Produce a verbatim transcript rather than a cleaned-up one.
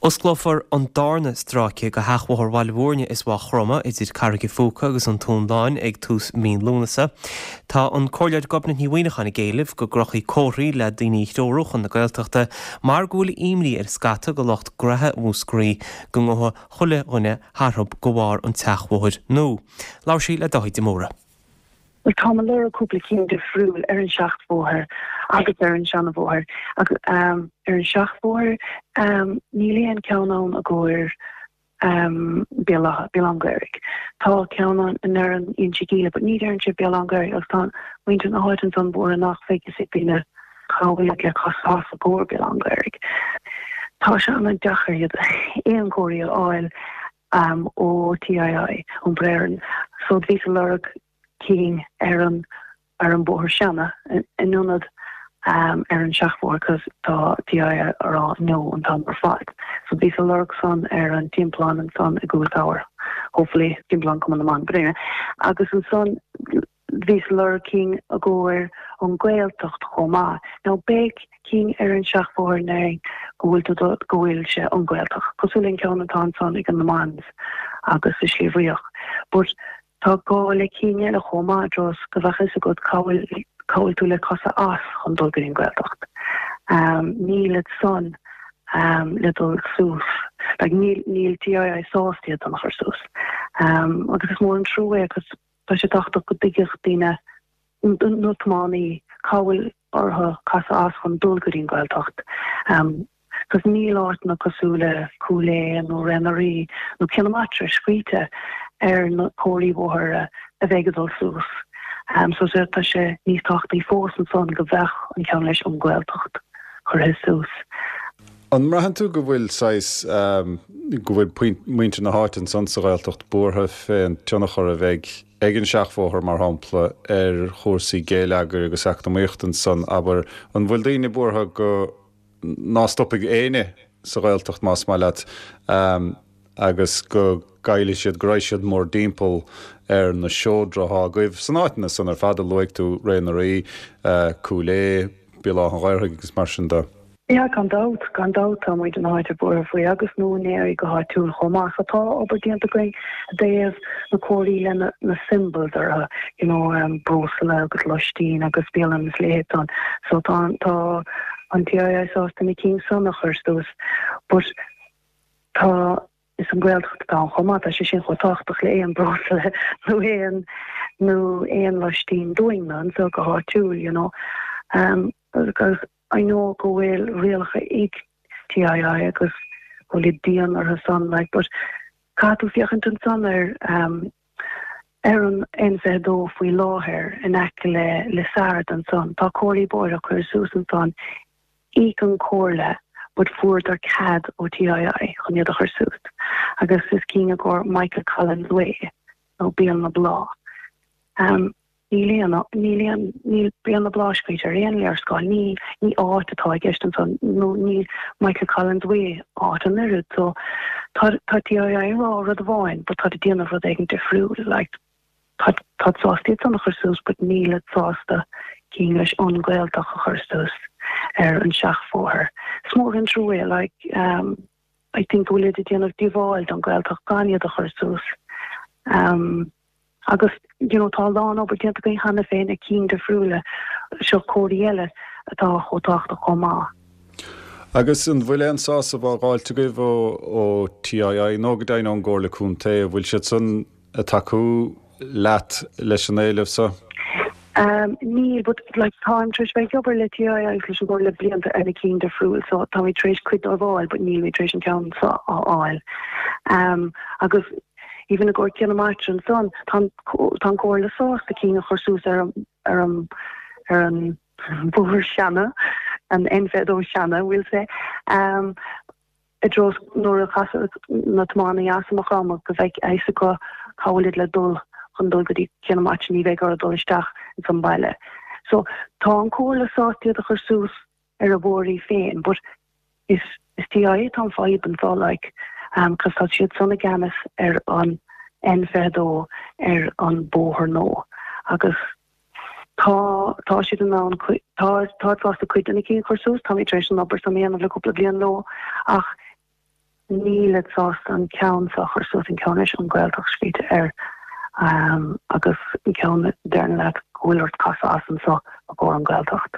Osclófar an darna stráice de sheachbhóthar Bhaile Bhúirne is Mhaigh Chromtha idir Carraig an Phúca agus an Tóin Lán ag tús mí Lúnasa. Tá an Comhairleoir Gobnait Ní Mhuineacháin ag éileamh go gcrochfaí comharthaí le daoine a threorú chun na Gaeltachta mar go bhfuil imní ar scata de lucht gnoithe Mhúscraí go ngabhfaidh chuile dhuine tharthub de bharr an tseachbhóthair nua. Labhair sí le Dáithí de Mórdha. Well tá mé ag lorg cúpla cinn difriúil ar an seachbhóthar agus ar an seanabhóthar agus um, ar an seachbhóthar um, níl aon ceann ann i gcomhair um, Béal an Ghaorthaidh. Tá ceann ann ar an Inse Gile, but ní deireann sé Béal an Ghaorthaidh agus tá muintir na háite ansan buartha nach bhfuil a fhios ag daoine cá bhfuil le casadh as i gcomhair Béal an Ghaorthaidh. Tá sé an-deacair iad aon chomharthaí a fháil um, ó TII ón Breirean, so bhí ag lorg cinn ar an ar an bóthar seana in ionad um, ar an seachbhóthar cos tá TII ag rá no an t-am ar fad. So bhí ag lorg san ar an timpeallán ansan i gCúil Tower. Hopefully timpeallán Chumann na mBan Bréine. Agus ansan bhí ag lorg cinn i gcomhair an Ghaeltacht chomh maith. Now beidh cinn ar an seachbhóthar na go bhfuil go bhfuil sé an Ghaeltacht. Cosúil an ceann atá ansan ag an na Mans agus i Sliabh Riach. But tá gá le cinn eile chomh maith dros go bheadh fhios agat cá bhfuil tú le casadh as chun dul go dtí an Ghaeltacht. Um, níl san um, le dul suas. Like, níl níl TII sásta iad a chur suas. Um, agus is mór an trua agus tá sé tábhachtach go dtuigfeadh daoine nó tiománaí cá bhfuil orthu casadh as chun dul go dtí an Ghaeltacht. Um, Cos níl áiteanna cosúil le Cúil Aodha nó Ré na Rí nó Cionn na Matra scríte ar na comharthaí bóthair a bheidh ag dul suas. Um, so tá sé níos tábhachtaí fós ansan go bheadh an ceann leis an Ghaeltacht curtha suas. An mbraitheann tú go bhfuil saghas um, go bhfuil muintir na háite ansan sa Ghaeltacht buartha fén tionchar a bheidh ag an seachbhóthar mar shampla ar chúrsaí geilleagair agus eacnamaíocht ansan abair an bhfuil daoine buartha go ná stopfaidh éinne sa Ghaeltacht más maith leat um, agus go gcaillfidh siad go raibh siad mór-dtimpeall ar na seodra atá agaibh san áiteanna san ar fad a luaigh tú Ré na Rí, uh, Cúil Aodha, Béal Átha an Ghaorthaidh agus mar sin de. Ja gan dabht gan dabht tá muid an háite buartha faoi agus na húinéirí go háitiúil chomh maith tá obair déanta againn i dtaobh na comharthaí le na, na symbols orthu you know um, breosla agus lóistín agus bialann is leithéid san so tá tá an TII sásta na cinn san a chur suas but tá is an Ghaeltacht atá chomh maith tá sé sin chomh tábhachtach le aon breosla nó aon nó aon lóistín dúinn anseo go háitiúil you know um, because I know go bhfuil rialacha ag TII agus go bhfuil dian orthu san like but caithfidh tú féachaint ansan ar um, ar an N fiche dó faoi láthair in aice le le Sard ansan tá comharthaí bóthair curtha suas ansan ag an gcomhairle but fuaireadar cead ó TII chun iad a chur suas agus is cinn i gcomhair Michael Collins Way nó Béal na Bláth. Um, níl níl níl Béal na Bláth scríte ar aon léarscáil ní ní áit atá i gceist ansan nó níl Michael Collins Way áit an oiread so tá tá TII ag rá rud amháin but tá déanamh rud éigin difriúil like tá tá sásta iad san a chur suas but níl sásta cinn leis an Ghaeltacht a chur suas ar an seachbhóthar. Is mór an trua like um, I think go bhfuil ag déanamh díobháil don Ghaeltacht gan iad a chur suas. Um, agus you know, tá lán obair déanta againn cheana féin ag cinn difriúla seo comharthaí eile atá chomh tábhachtach chomh maith. Agus an bhfuil aon sásamh á fháilt agaibh ó ó TII nó go deimhin ón gComhairle Contae bhfuil siad san ag tacú leat leis an éileamh seo? Um, níl but like táim tar éis bheith obair le TII agus leis an gcomhairle le blianta ar na cinn difriúil so tá mé tar éis cuid a fháil, but níl mé tar éis an ceann seo a fháil. Um, agus even i gcomhair Cionn na Matra ansan tá an chomhairle sásta cinn a chur suas ar ar an ar an bóthar seana an N fiche dó seana bhfuil sé um, i dtreo nuair a chasfaidh na tiománaithe as Maigh Chromtha go bheidh a fhios acu cá bhfuil le dul chun dul go dtí Cionn na Matra ní bheidh orthu dul isteach san baile. So tá an chomhairle sásta iad a chur suas ar a bhóithrí féin, but is is TII tá an fadhb anseo like um, cos tá siad san i gceannas ar an N fiche dó ar an bóthar nua agus tá tá siad in ann tá tá sásta cuid de na cinn a chur suas tá tar éis an obair san dhéanamh le cúpla bliain leo ach Nílid sásta an ceann seo a chur suas an ceann leis an Ghaeltacht scríte air agus an ceann a deireann leat go bhfuil ort casadh as anseo i gcomhair an Ghaeltacht.